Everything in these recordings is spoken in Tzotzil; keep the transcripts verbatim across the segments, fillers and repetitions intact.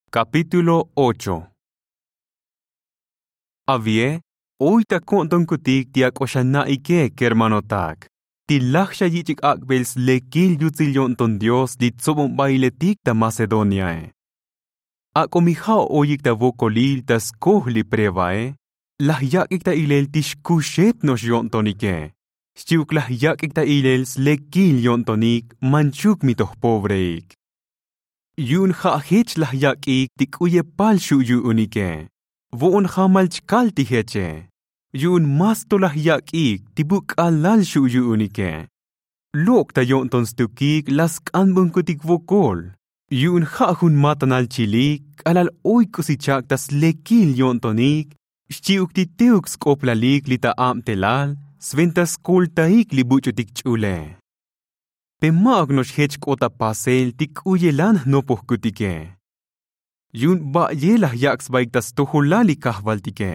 Kapítulo ocho. Avie, oy ta ko'ntonkutik ti ak'o xana'ike kermanotak, ti laj xayich'ik ak'bel slekil yutsil yo'nton dios li tsobonbailetik ta macedoniae. Ak'o mi ja' oyik ta vokolil ta skoj li prevae, laj yak'ik ta ilel ti xkuxet no'ox yo'ntonike, xchi'uk laj yak'ik ta ilel slekil yo'ntonik manchuk mi toj povreik. Yu'un ja' jech laj yak'ik ti k'u yepal xu' yu'unike, vo'on jamal chkal ti jeche. Yu'un más to laj yak'ik ti bu k'alal xu' yu'unike. Lok' ta yo'nton stukik la sk'anbonkutik vokol, yu'un ja' jun matanal chilik k'alal oy k'usi chak' ta slekil yo'ntonik, xchi'uk ti teuk sk'oplalik li ta abtelal sventa skoltaik li buch'utik ch'ule. Pe ma'uk no'ox jech k'ot ta pasel ti k'u yelan jnopojkutike. Yu'un ba'ye laj yak' sbaik ta stojolal li kajvaltike,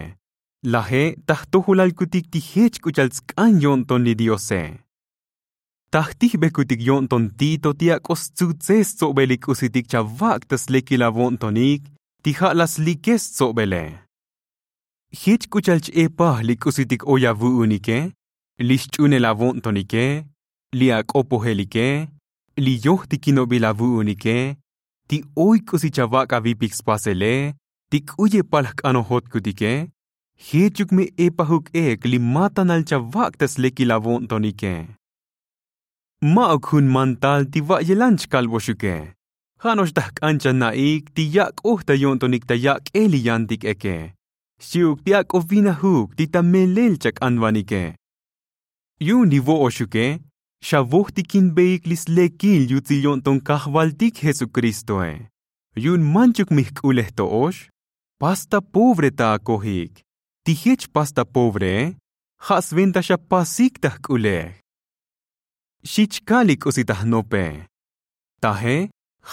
laje' ta jtojolalkutik ti jech k'u cha'al tsk'an yo'nton li diose. Ta jtijbekutik yo'nton tito ti ak'o stsutsej stsobel li k'usitik chavak' ta slekil avo'ntonik, ti ja' la slikej stsobele. Jech k'u cha'al ch-epaj li k'usitik oy avu'unike, li xch'unel avo'ntonike, li ak'opojelike, li yojtikinobil avu'unike, ti oy k'usi chavak' avipik spasele, ti k'u yepal jk'anojotkutike, jechuk mi epajuk ek li matanal chavak' ta slekil avo'ntonike. Ma'uk jun mantal ti va'yelan chkalboxuke, ja' no'ox ta jk'an chana'ik ti yak'oj ta yo'ntonik ta yak'el li yantik eke, xchi'uk ti ak'o vinajuk ti ta melel chak'anvanike. Yu'un li vo'oxuke, xavojtikinbeik li slekil yutsil yo'nton kajvaltik jesukristoe. Yu'un manchuk mi jk'ulej to'ox, pas ta povre ta akojik. Ti jech pas ta povree, ja' sventa xapasik ta jk'ulej. Xi chkal li k'usi ta jnope. Taje,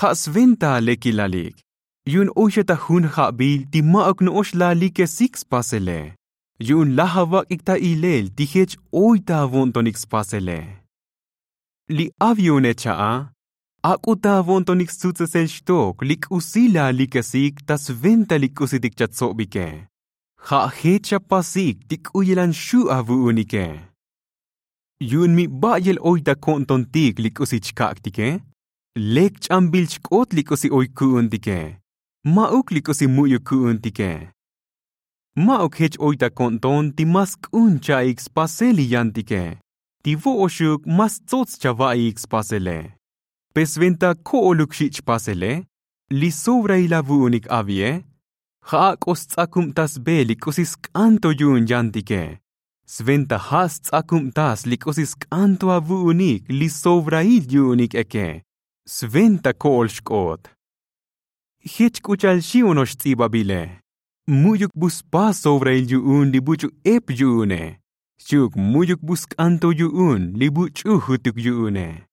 ja' sventa alekilalik, yu'un oy xa ta jun ja'bil ti ma'uk no'ox la alikesik spasele, yu'un laj avak'ik ta ilel ti jech oy ta avo'ntonik spasele. Li avione cha'a, ak'o ta avo'ntonik stsutsesel xtok li k'usi la alikesik ta sventa li k'usitik chatsobike, ja' jech xapasik ti k'u yelan xu' avu'unike. Yu'un mi ba'yel oy ta ko'ntontik li k'usi chkak'tike, lek ch'ambil chk'ot li k'usi oy ku'untike, ma'uk li k'usi mu'yuk ku'untike. Ma'uk jech oy ta ko'nton ti ma sk'un cha'ik spasel li yantike, ti vo'oxuk ma stsots chava'iik spasele. Pe sventa ko'oluk xi' chpasele, li sobrail avu'unik avie, ja' ak'o sts'akubtasbe li k'usi sk'an to yu'un yantike, sventa ja' sts'akubtas li k'usi sk'an to avu'unik li sobrail yu'unik eke, sventa ko'ol xk'ot. Jech k'u cha'al xi'ono'ox ts'ibabile, mu'yuk bu spas sobrail yu'un li buch'u ep yu'une, xchi'uk mu'yuk bu sk'an to yu'un li buch'u jutuk yu'une.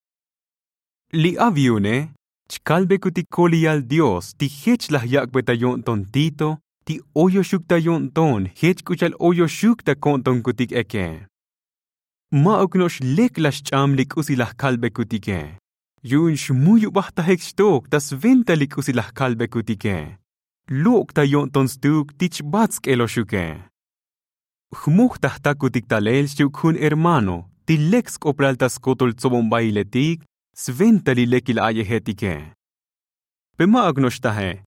Li avione, chkalbekutik koliyal dios ti jech laj yak'be ta yo'nton tito ti oyoxuk ta yo'nton jech k'u cha'al oyoxuk ta ko'ntonkutik eke. Ma'uk no'ox lek la xch'am li k'usi laj kalbekutike, yu'un xmuyubajtajik xtok ta sventa li k'usi laj kalbekutike. Lok' ta yo'nton stuk ti chbat sk'eloxuke. Jmoj ta jtakutik talel xchi'uk jun hermano ti lek sk'oplal ta skotol tsobonbailetik sventa li lekil a'yejetike. Pe ma'uk no'ox taje,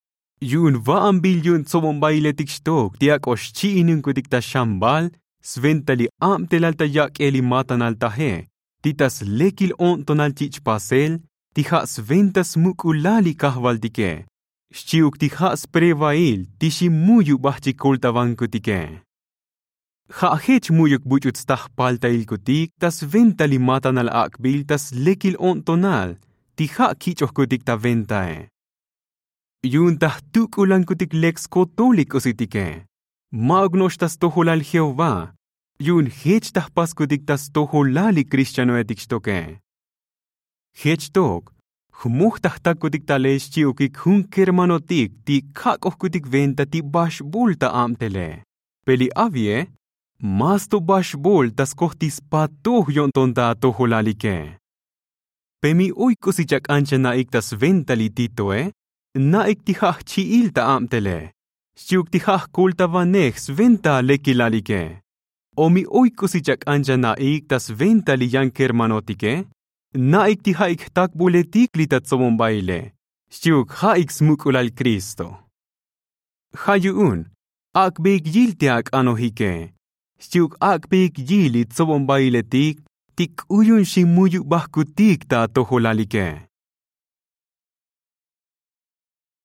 yu'un va'anbil yu'un tsobonbailetik xtok ti ak'o xchi'inunkutik ta xambal sventa li abtelal ta yak'el li matanal taje, ti ta slekil o'ntonal chich' pasel ti ja' sventa smuk'ulal li kajvaltike, xchi'uk ti ja' sprevail ti ximuyubaj chik koltavankutike. Ja' jech mu'yuk buch'u tstaj paltailkutik ta sventa li matanal ak'bil ta slekil o'ntonal ti ja' kich'ojkutik ta ventae. Yu'un ta jtuk'ulankutik lek skotol li k'usitike, ma'uk no'ox ta stojolal jehová, yu'un jech ta jpaskutik ta stojolal li krixtianoetik xtoke. Jech tok, jmoj ta jtakutik talel xchi'ukik jun kermanotik ti kak'ojkutik venta ti baxbol ta abtele. Pe li avie, más to baxbol ta skoj ti spatoj yo'nton ta atojolalike. Pe mi oy k'usi chak'an chana'ik ta sventa li titoe, na'ik ti ja' jchi'il ta abtele xchi'uk ti ja' jkoltavanej sventa lekilalike. O mi oy k'usi chak'an chana'ik ta sventa li yan kermanotike, na'ik ti ja'ik jtakbuletik li ta tsobonbaile xchi'uk ja'ik smuk'ulal kristo. Ja' yu'un ak'beik yil ti ak'anojike xchi'uk ak'beik yil li tsobonbailetik ti k'u yu'un ximuyubajkutik ta atojolalike.